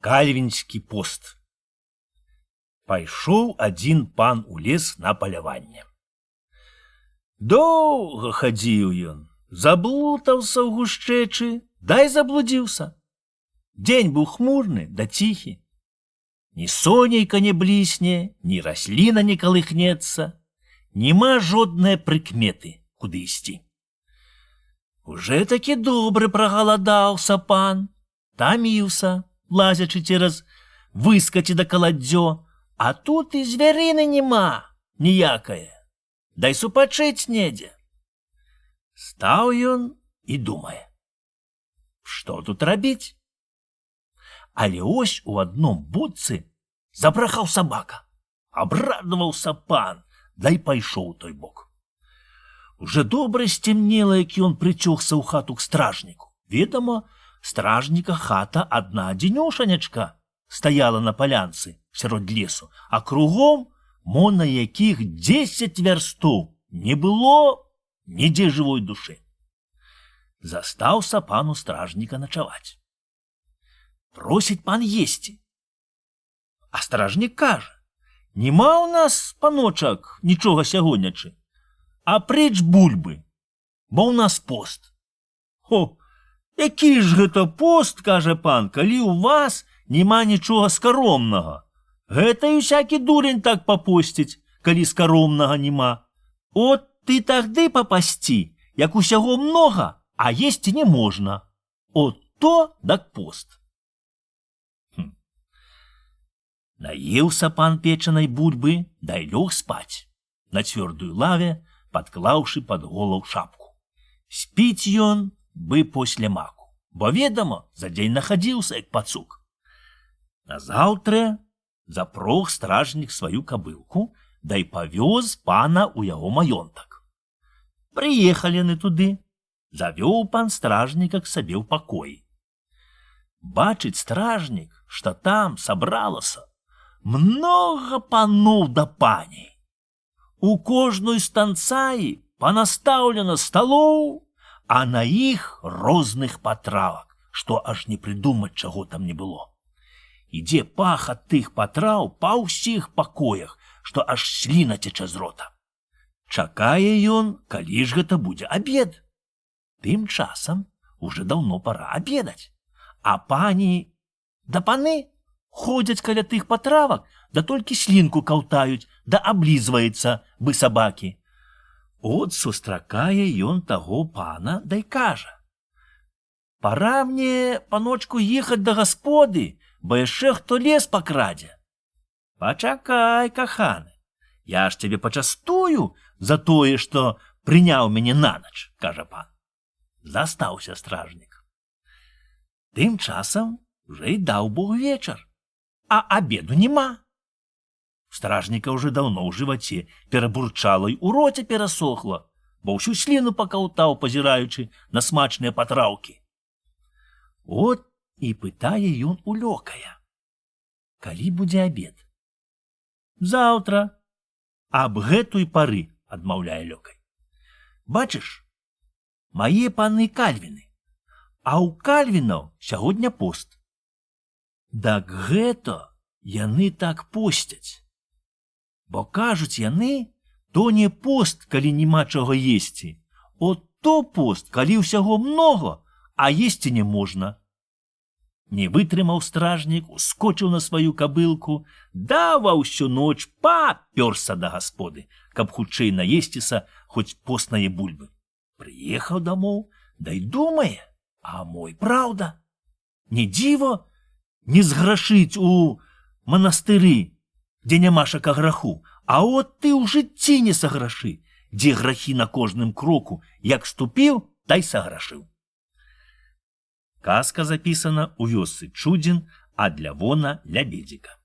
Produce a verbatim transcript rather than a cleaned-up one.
Кальвінскі пост. Пайшоў адзін пан у лес на паляванне. Доўга хадзіў ён, заблутаўся ў гушчэчы, дай заблудзіўся. Дзень быў хмурны да ціхі. Ні сонейка не блісне, ні расліна не калыхнецца, нема жоднае прыкметы, куды ісці. Уже такі добры прагаладаўся пан, таміўся, лазячы цераз выскаці да каладдзё, а тут і звярыны нема ніякае, дай супачыць недзе. Стаў ён і думае, што тут рабіць? Але ось у адном будцы забрахаў сабака. Абрадаваўся пан, дай пайшоў у той бок. Уже добра сцемнела, як ён прыцёгся ў хату к стражніку. Ведама, стражніка хата адна адзінёшанячка стаяла на палянцы сярод лесу, а кругом, мо на якіх дзесяць вярстоў, не было нідзе жывой душы. Застаўся пану стражніка начаваць. Просіць пан есці. А стражнік кажа, нема ў нас, паночак, нічога сягоннячы, а прэч бульбы, бо ў нас пост. О, які ж гэта пост, кажа пан, калі ў вас нема нічога скаромнага. Гэта і всякі дурень так папосціць, калі скаромнага нема. От ты тагды папасці, як усяго многа, а есці не можна. От то дак пост. Хм. Наеўся пан печанай бульбы, дай лёг спаць. На цвёрдую лаве, падклаўшы пад голаў шапку. Спіць ён бы после маку, бо, ведама, за дзень нахадзіўся, як пацук. Назаўтра запрог стражнік сваю кабылку, дай павёз пана ў яго маёнтак. Прыехалі яны туды, завёў пан стражніка к сабе ў пакоі. Бачыць стражнік, што там сабралася многа паноў да паней. У кожной станцаі панастаўлена сталоў, а на іх розных патравак, што аж не прыдумаць, чаго там не было. Ідзе пах ад тых патраў па ўсіх пакоях, што аж сліна цячэ з рота. Чакае ён, калі ж гэта будзе абед. Тым часам уже даўно пара абедаць, а пані да паны ходзяць каля тых патравак, да толькі слінку каўтаюць, да аблізваецца, бы сабакі. От сустракае ён таго пана, дай кажа, пара мне, паночку, ехаць да гасподы, бо яшчэ хто лес пакрадзе. Пачакай, каханы, я ж цябе пачастую за тое, што прыняў мяне нанач, кажа пан. Застаўся стражнік. Тым часам уже і даў Бог вечар, а абеду нема. Стражніка уже даўно ў жываце перабурчала і ў роце перасохла, бо ўсю сліну пакаўтаў, пазіраючы на смачныя патраўкі. От і пытае ён у лёкая, калі будзе абед. Заўтра, аб гэтай пары, адмаўляе лёкай. Бачыш, мае паны кальвіны, а ў кальвінаў сягоння пост. Дак гэта яны так посцяць. Бо кажуць яны, то не пост, калі няма чаго есці, от то пост, калі ўсяго многа, а есці не можна. Не вытрымаў стражнік, ускочыў на сваю кабылку, да ва ўсю ноч папёрся да гасподы, каб хутчэй наесціся хоць постнае бульбы. Прыехаў дамоў, дай думае, а мой праўда. Не дзіва не зграшыць у манастыры, дзе нямашака граху, а от ты ў жыцці не саграшы, дзе грахі на кожным кроку, як ступіў, тай саграшыў. Казка запісана ў вёсцы Чудзін ад Лявона Лябедзіка.